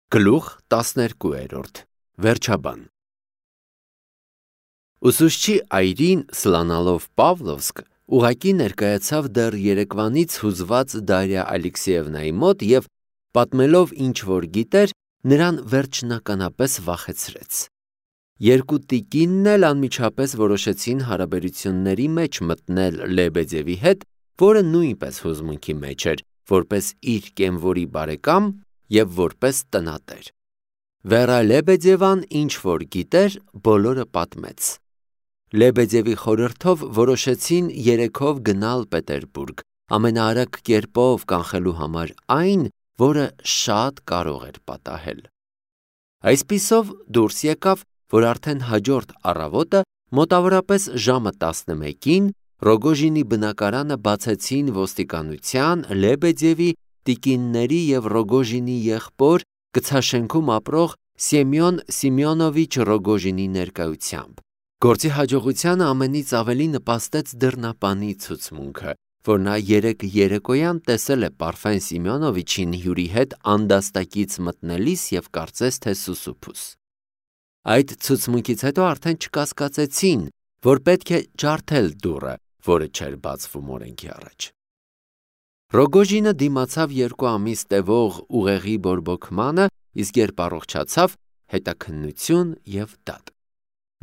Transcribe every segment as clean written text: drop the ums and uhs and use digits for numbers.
Գլուխ 12 Վերջաբան Ուսուցչի այրին սլանալով Պավլովսկ ուղղակի ներկայացավ դեռ երեկվանից հուզված Դարիա Ալեքսեևնայի մոտ և պատմելով ինչ-որ գիտեր, նրան վերջնականապես վախեցրեց։ Երկու տիկինն էլ անմիջապես որոշեցին հարաբերությունների մեջ մտնել Լեբեդևի հետ, որը նույնպես հուզմունքի մեջ էր, որպես իր կենվորի բարեկամ և որպես տնատեր։ Վերա Լեբեդևան ինչ-որ գիտեր, բոլորը պատմեց։ Լեբեդևի խորհրդով որոշեցին երեքով գնալ Պետերբուրգ, ամենաարագ կերպով կանխելու համար այն, որը շատ կարող էր պատահել։ Այսպիսով դուրս եկավ, որ արդեն հաջորդ առավոտը, մոտավորապես ժամը 11-ին, Ռոգոժինի բնակարանը բացեցին ոստիկանության, Լեբեդևի, տիկինների և Ռոգոժինի եղբոր, գցաշենքում ապրող Սեմյոն Սիմեոնովիչ Ռոգոժինի ներկայությամբ։ Գործի հաջողությանը ամենից ավելի նպաստեց դռնապանի ցուցմունքը, որ նա երեկոյան տեսել է Պարֆեն Սիմեոնովիչին հյուրի հետ անդաստակից մտնելիս և կարծես թե սուսուփուս։ Այդ ցուցմունքից հետո արդեն չկասկածեցին, որ պետք է ջարդել դուռը, որը չէր բացվում օրենքի առաջ։ Ռոգոժինը դիմացավ 2 ամիս տևող ուղեղի բորբոքմանը, իսկ երբ առողջացավ, հետաքննություն և դատ։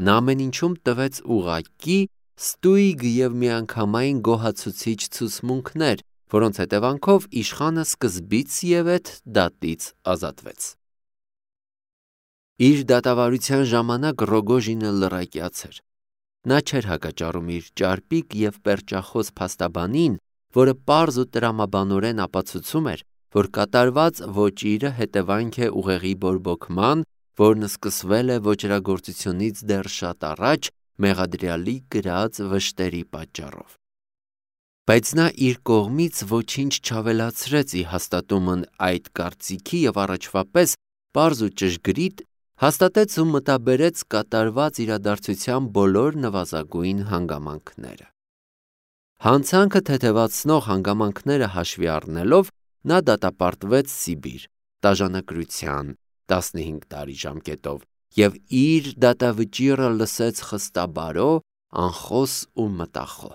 Նա ամեն ինչում տվեց ուղղակի, ստույգ և միանգամայն գոհացուցիչ ցուցմունքներ, որոնց հետևանքով իշխանը սկզբից և էդ դատից ազատվեց։ Իր դատավարության ժամանակ Ռոգոժինը լռակյաց էր։ Նա չէր հակաճառում իր ճարպիկ և պերճախոս փաստաբանին, որը պարզ ու տրամաբանորեն ապացուցում էր, որ կատարված ոճիրը հետևանք է ուղեղի բորբոքման, որն սկսվել է ոճրագործությունից դեռ շատ առաջ մեղադրյալի կրած վշտերի պատճառով։ Բայց նա իր կողմից ոչինչ չավելացրեց ի հաստատումն այդ կարծիքի և առաջվա պես պարզ ու ճշգրիտ հաստատեց ու մտաբերեց կատարված իրադարձության բոլոր նվազագույն հանգամանքները։ Հանցանքը թեթևացնող հանգամանքները հաշվի առնելով, նա դատապարտվեց Սիբիր, տաժանակրության 15 տարի ժամկետով և իր դատավճիռը լսեց խստաբարո, անխոս ու մտախոհ։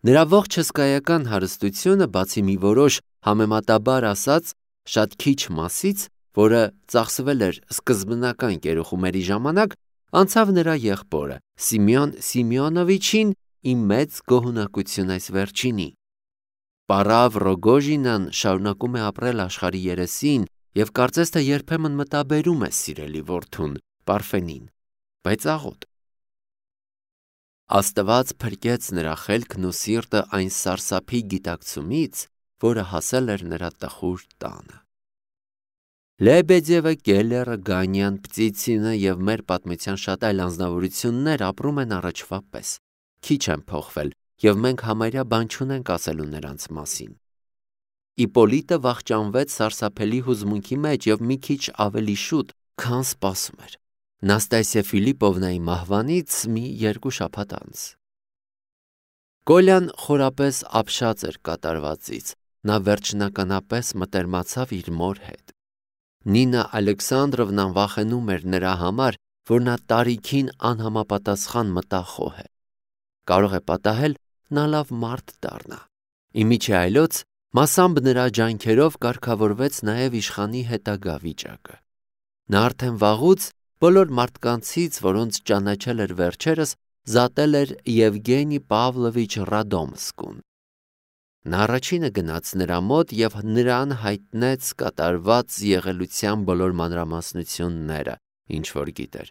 Նրա ողջ հսկայական հարստությունը, բացի մի որոշ, համեմատաբար ասած, շատ քիչ մասից, որը ծախսվել էր սկզբնական կերուխումերի ժամանակ, անցավ նրա եղբորը Սիմեոն Սիմեոնովիչին ի մեծ գոհունակություն այս վերջինի։ Պարավ Ռոգոժինան շարունակում է ապրել աշխարհի երեսին և կարծես թե երբեմն մտաբերում է սիրելի որդուն Պարֆենին, բայց աղոտ։ Աստված փրկեց նրա խելքն ու սիրտը այն սարսափի գիտակցումից, որը հասել էր նրա տխուր տանը։ Լեբեդևը, Կելլերը, Գանյան, Պտիցինը և մեր պատմության շատ այլ անձնավորություններ ապրում են առաջվա պես, քիչ են փոխվել, և մենք համարյա բան չունենք ասելու նրանց մասին։ Իպոլիտը վախճանվեց սարսափելի հուզմունքի մեջ և մի քիչ ավելի շուտ, քան սպասում էր, Նաստասիա Ֆիլիպովնայի մահվանից մի 2 շաբաթ անց։ Կոլյան խորապես ապշած էր կատարվածից, նա վերջնականապես մտերմացավ իր մոր հետ։ Նինա Ալեքսանդրովնան վախենում էր նրա համար, որ նա տարիքին անհամապատասխան մտախոհ է։ Կարող է պատահել նա լավ մարդ դառնա։ Իմիջի այլոց, մասամբ նրա ջանքերով կարգավորվեց նաև իշխանի հետագա վիճակը։ Նա արդեն վաղուց բոլոր մարդկանցից, որոնց ճանաչել էր վերջերս, զատել էր Եվգենի Պավլովիչ Ռադոմսկուն։ Նա առաջինը գնաց նրա մոտ և նրան հայտնեց կատարված եղելության բոլոր մանրամասնությունները, ինչ որ գիտեր,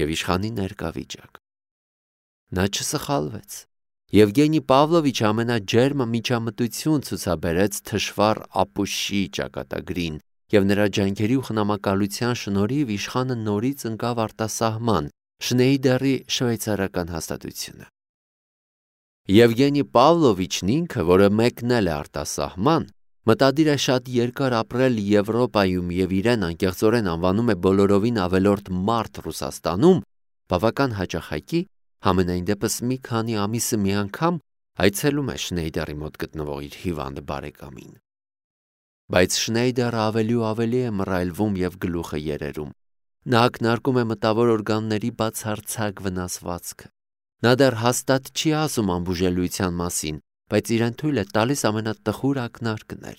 և իշխանի ներկա վիճակ։ Նա չսխալվեց։ Եվգենի Պավլովիչը ամենաջերմ միջամտություն ցուցաբերեց թշվառ ապուշի ճակատագրին, և նրա ջանքերի ու խնամակալության շնորհիվ իշխանը նորից ընկավ արտասահման Շնեյդերի շվեյցարական հաստատությունը։ Եվգենի Պավլովիչն ինքը, որը մեկնել է արտասահման, մտադիր է շատ երկար ապրել Եվրոպայում և իրեն անկեղծորեն անվանում է բոլորովին ավելորդ մարդ Ռուսաստանում, բավական հաճախակի, համենայն դեպս մի քանի ամիսը մի անգամ այցելում է Շնեյդերի մոտ գտնվող իր հիվանդ բարեկամին։ Բայց Շնեյդերը ավելի ու ավելի է մռայլվում և գլուխը երերում։ Նա ակնարկում է մտավոր օրգանների բացարձակ վնասվածքը։ Նա դեռ հաստատ չի ասում անբուժելիության մասին, բայց իրեն թույլ է տալիս ամենատխուր ակնարկներ։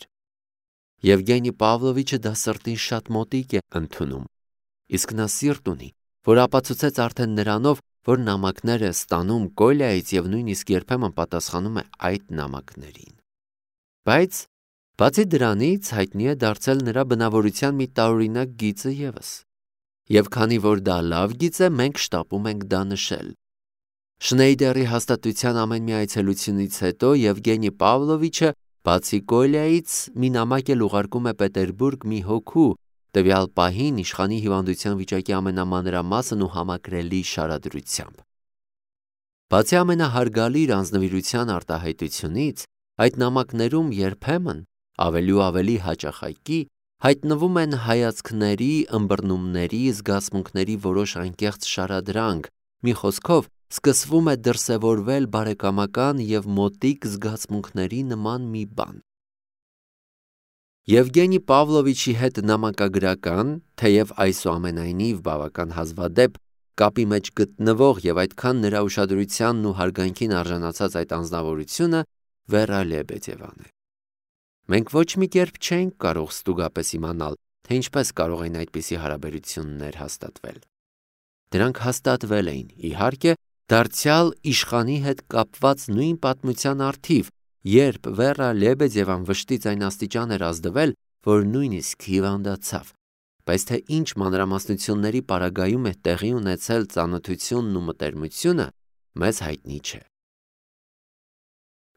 Եվգենի Պավլովիչը դա սրտին շատ մոտիկ է ընդունում, իսկ նա սիրտ ունի, որ ապացուցեց արդեն նրանով, որ նամակներ է ստանում Կոլյայից և նույնիսկ երբեմն պատասխանում է այդ նամակներին։ Բայց բացի դրանից հայտնի է դարձել նրա բնավորության մի տարօրինակ գիծը ևս։ Եվ քանի որ դա լավ գիծ է, մենք շտապում ենք դա նշել։ Շնեյդերի հաստատության ամեն մի այցելությունից հետո Եվգենի Պավլովիչը բացի Կոլյայից մի նամակ էլ ուղարկում է Պետերբուրգ մի հոգու, տվյալ պահին իշխանի հիվանդության վիճակի ամենամանրամասն ու համակրելի շարադրությամբ։ Բացի ամենահարգալի իր անձնվիրության արտահայտությունից, այդ նամակներում երբեմն ավելի ու ավելի հաճախակի հայտնվում են հայացքների, ըմբռնումների, զգացմունքների որոշ անկեղծ շարադրանք, մի խոսքով սկսվում է դրսևորվել բարեկամական և մոտիկ զգացմունքների նման մի բան։ Եվգենի Պավլովիչի հետ նամակագրական, թեև այսուամենայնիվ բավական հազվադեպ կապի մեջ գտնվող և այդքան նրա ուշադրությանն ու հարգանքին արժանացած այդ անձնավորությունը Վերա Լեբեդևան է։ Մենք ոչ մի կերպ չենք կարող ստուգապես իմանալ, թե ինչպես կարող են այդպիսի հարաբերություններ հաստատվել։ Դրանք հաստատվել էին, իհարկե, դարձյալ իշխանի հետ կապված նույն պատմության առթիվ, երբ Վերա Լեբեդևան վշտից այն աստիճան էր ազդվել, որ նույնիսկ հիվանդացավ, բայց թե ինչ մանրամասնությունների պարագայում է տեղի ունեցել ծանոթությունն ու մտերմությունը, մեզ հայտնի չէ։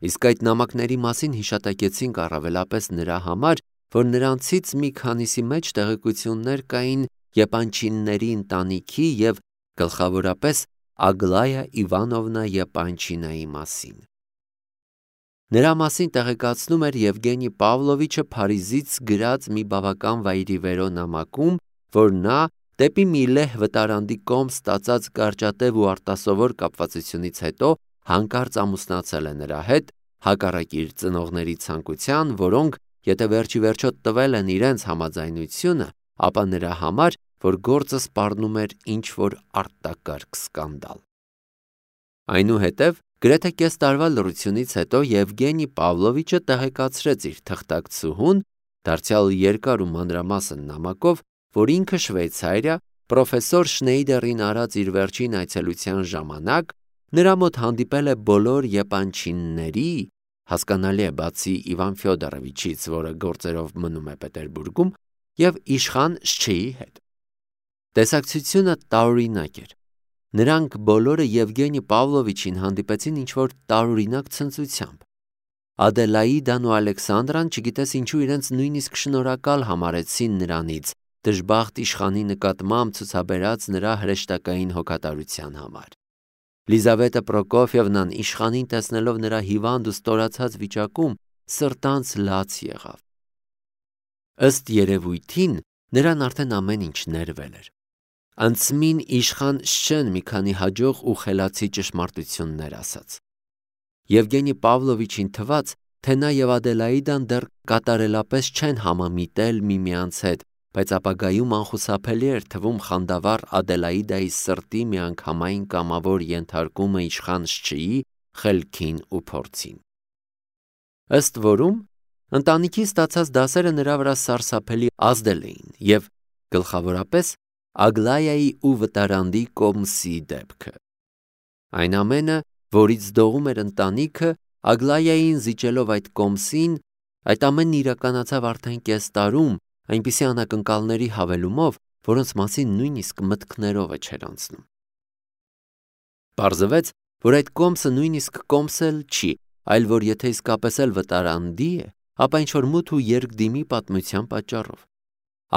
Իսկ այդ նամակների մասին հիշատակեցինք առավելապես նրա համար, որ նրանցից մի քանիսի մեջ տեղեկություններ կային Եպանչինների ընտանիքի և գլխավորապես Ագլայա Իվանովնա Եպանչինայի մասին։ Նրա մասին տեղեկացնում էր Եվգենի Պավլովիչը Փարիզից գրած մի բավական վայրիվերո նամակում, որ նա դեպի մի լեհ վտարանդի կողմ ստացած կարճատև ու արտասովոր կապվածությունից հետո հանկարծ ամուսնացել է նրա հետ, հակառակ իր ծնողների ցանկության, որոնք, եթե վերջի վերջո տվել են իրենց համաձայնությունը, ապա նրա համար, որ գործը սպառնում էր ինչ-որ արտակարգ սկանդալ։ Այնուհետև, գրեթե կես տարվա լռությունից հետո Եվգենի Պավլովիչը տեղեկացրեց իր թղթակցուհուն, դարձյալ երկար ու մանրամասն նամակով, որ ինքը Շվեյցարիա, պրոֆեսոր Շնեյդերին արած իր վերջին այցելության ժամանակ նրա մոտ հանդիպել է բոլոր Եպանչինների, հասկանալի է բացի Իվան Ֆյոդորովիչից, որը գործերով մնում է Պետերբուրգում, և իշխան Շչեի հետ։ Տեսակցությունը տարօրինակ էր։ Նրանք բոլորը Եվգենի Պավլովիչին հանդիպեցին ինչ-որ տարօրինակ ցնծությամբ։ Ադելաիդան ու Ալեքսանդրան չգիտես ինչու իրենց նույնիսկ շնորհակալ համարեցին նրանից, դժբախտ իշխանի նկատմամբ ցուցաբերած նրա հրեշտակային հոգատարության համար։ Լիզավետա Պրոկոֆիևնան իշխանին տեսնելով նրա հիվանդ ու ստորացած վիճակում սրտանց լաց եղավ։ Ըստ երևույթին նրան արդեն ամեն ինչ ներվել էր։ Անցմին իշխան Շչեն մի քանի հաջող ու խելացի ճշմարտություններ ասաց։ Եվգենի Պավլովիչին թվաց, թե նա և Ադելաիդան դեռ կատարելապես չեն համամիտել միմյանց հետ, բայց ապագայում անխուսափելի էր թվում խանդավառ Ադելաիդայի սրտի միանգամայն կամավոր ենթարկումը իշխան Շչեի խելքին ու փորձին։ Ըստ որում, ընտանիքի ստացած դասերը նրա վրա սարսափելի ազդել էին և գլխավորապես Ագլայայի ու վտարանդի կոմսի դեպքը։ Այն ամենը, որից դողում էր ընտանիքը, Ագլայային զիջելով այդ կոմսին, այդ ամենն իրականացավ արդեն կես տարում, այնպիսի անակնկալների հավելումով, որոնց մասին նույնիսկ մտքներովը չէր անցնում։ Պարզվեց, որ այդ կոմսը նույնիսկ կոմս էլ չի, այլ որ եթե իսկապես էլ վտարանդի է, ապա ինչ-որ մութ ու երկդիմի պատմության պատճառով։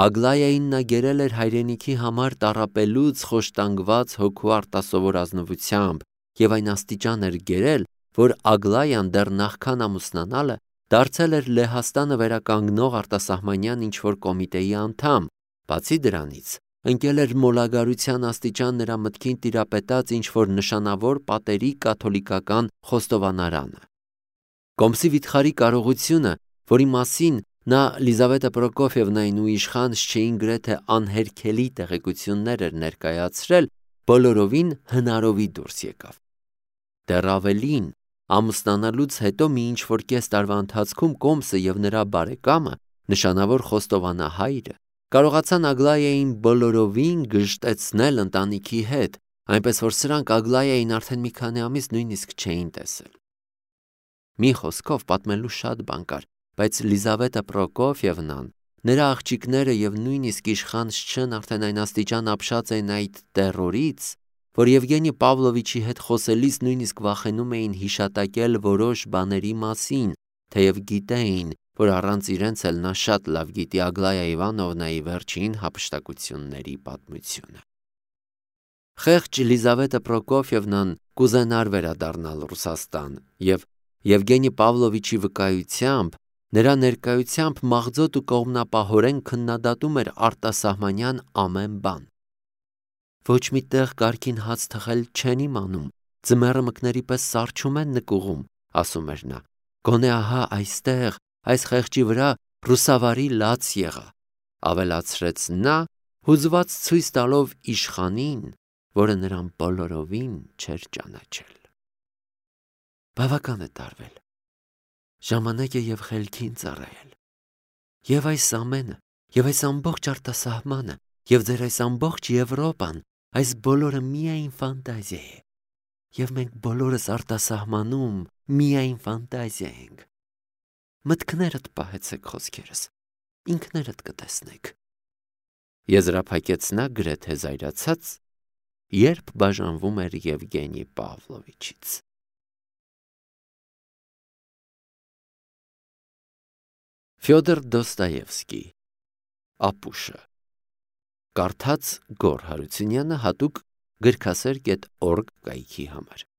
Ագլայային նա գերել էր հայրենիքի համար տառապելուց խոշտանգված հոգու արտասովոր ազնվությամբ և այն աստիճան էր գերել, որ Ագլայան դեռ նախքան ամուսնանալը դարձել էր Լեհաստանը վերականգնող արտասահմանյան ինչ-որ կոմիտեի անդամ, բացի դրանից ընկել էր մոլագարության աստիճան նրա մտքին տիրապետած ինչ-որ նշանավոր պատերի կաթոլիկական խոստովանարանը։ Կոմսի վիթխարի կարողությունը, որի մասին Նա Լիզավետա Պրոկոֆիևնային ու իշխանს չէին գրեթե անհերքելի տեղեկություններ էր ներկայացրել, բոլորովին հնարովի դուրս եկավ։ Դեռ ավելին, ամուսնանալուց հետո մի ինչ-որ կես տարվա ընթացքում Կոմսը և նրա բարեկամը, նշանավոր խոստովանահայրը, կարողացան Ագլայային բոլորովին գժտեցնել ընտանիքի հետ, այնպես որ սրանք Ագլայային արդեն մի քանի ամիս նույնիսկ չէին տեսել։ Մի խոսքով պատմելու շատ բան կար, բայց Լիզավետա Պրոկոֆիևնան, նրա աղջիկները և նույնիսկ իշխան Շչն արդեն այն աստիճան ապշած էին այդ տեռորից, որ Եվգենի Պավլովիչի հետ խոսելիս նույնիսկ վախենում էին հիշատակել որոշ բաների մասին, թեև գիտեին, որ առանց իրենց էլ նա շատ լավ գիտի Ագլայա Իվանովնայի վերջին հափշտակությունների պատմությունը։ Խեղճ Լիզավետա Պրոկոֆիևնան կուզենար վերադառնալ Ռուսաստան և Եվգենի Պավլովիչի վկայությամբ, նրա ներկայությամբ մաղձոտ ու կողմնապահորեն քննադատում էր արտասահմանյան ամեն բան։ Ոչ մի տեղ կարգին հաց թխել չեն իմանում, ձմեռը մկների պես սառչում են նկուղում, ասում էր նա, գոնե ահա այստեղ, այս խեղճի վրա ռուսավարի լաց եղա, ավելացրեց նա, հուզված ցույց տալով իշխանին, որը նրան բոլորովին չէր ճանաչել։ Բավական է տարվել, ժամանակ է և խելքին ծառայել, և այս ամենը, և այս ամբողջ արտասահմանը, և ձեր այս ամբողջ Եվրոպան, այս բոլորը միայն ֆանտազիա է, և մենք բոլորս արտասահմանում միայն ֆանտազիա ենք։ Մտքներդ պահեցեք խոսքերս, ինքներդ կտեսնեք։ Եզրափակեց նա գրեթե զայրացած, երբ բաժանվում էր Եվգենի Պավլովիչից։ Ֆյոդոր Դոստոևսկի Ապուշը Կարդաց Գոռ Հարությունյանը հատուկ գրքասեր.org կայքի համար